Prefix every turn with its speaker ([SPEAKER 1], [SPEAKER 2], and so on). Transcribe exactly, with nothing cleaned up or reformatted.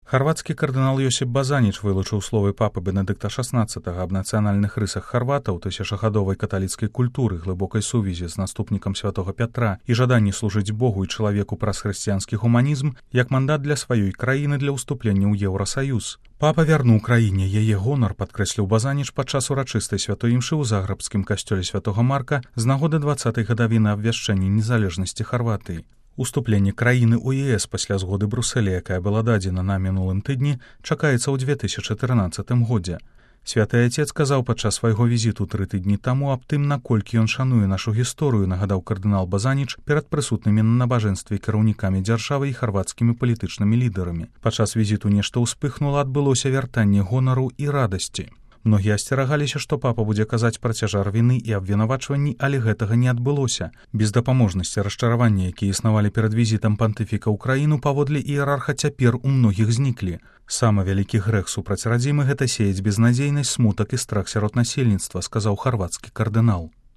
[SPEAKER 1] Харвацкі кардынал Йосіп Базаніч вылучыў словы папы Бенедыкта шаснаццатага аб нацыянальных рысах харватаў, тысячагадовай каталіцкай культуры, глыбокай сувязі з наступнікам святога Пятра і жаданні служыць Богу і чалавеку праз хрысціянскі гуманізм як мандат для сваёй краіны для ўступлення ў Еўрасаюз. Папа вярнуў краіне яе гонар, падкрэсліў Базаніч падчас урачыстай святой імшы ў загрэбскім касцёле святога Марка з нагоды дваццатай гадавіны абвяшчэння незалежнасці Харватыі. Уступленне краіны ў ЕС пасля згоды Брусэля, якая была дадзена на мінулым тыдні, чакаецца ў две тысячы трынаццатым годзе. Святы Отец казаў падчас свайго візіту тры тыдні таму аб тым, наколькі ён шануе нашу гісторыю, нагадаў кардынал Базаніч перад прысутнымі на набажэнстве кіраўнікамі дзяржавы і харвацкімі палітычнымі лідарамі. Падчас візіту нешта ўспыхнула, адбылося вяртанне гонару і радасці. Многія асцерагаліся, што папа будзе казаць пра цяжар віны і абвінавачванні, але гэтага не адбылося. Бездапаможнасці расчаравання, якія існавалі перад візітам пантыфіка ў краіну, паводле іерарха цяпер у многіх зніклі. Самы вялікі грэх супраць радзімы — гэта сеяць безнадзейнасць, смутак і страх сярод насельніцтва, сказаў харвацкі кардынал.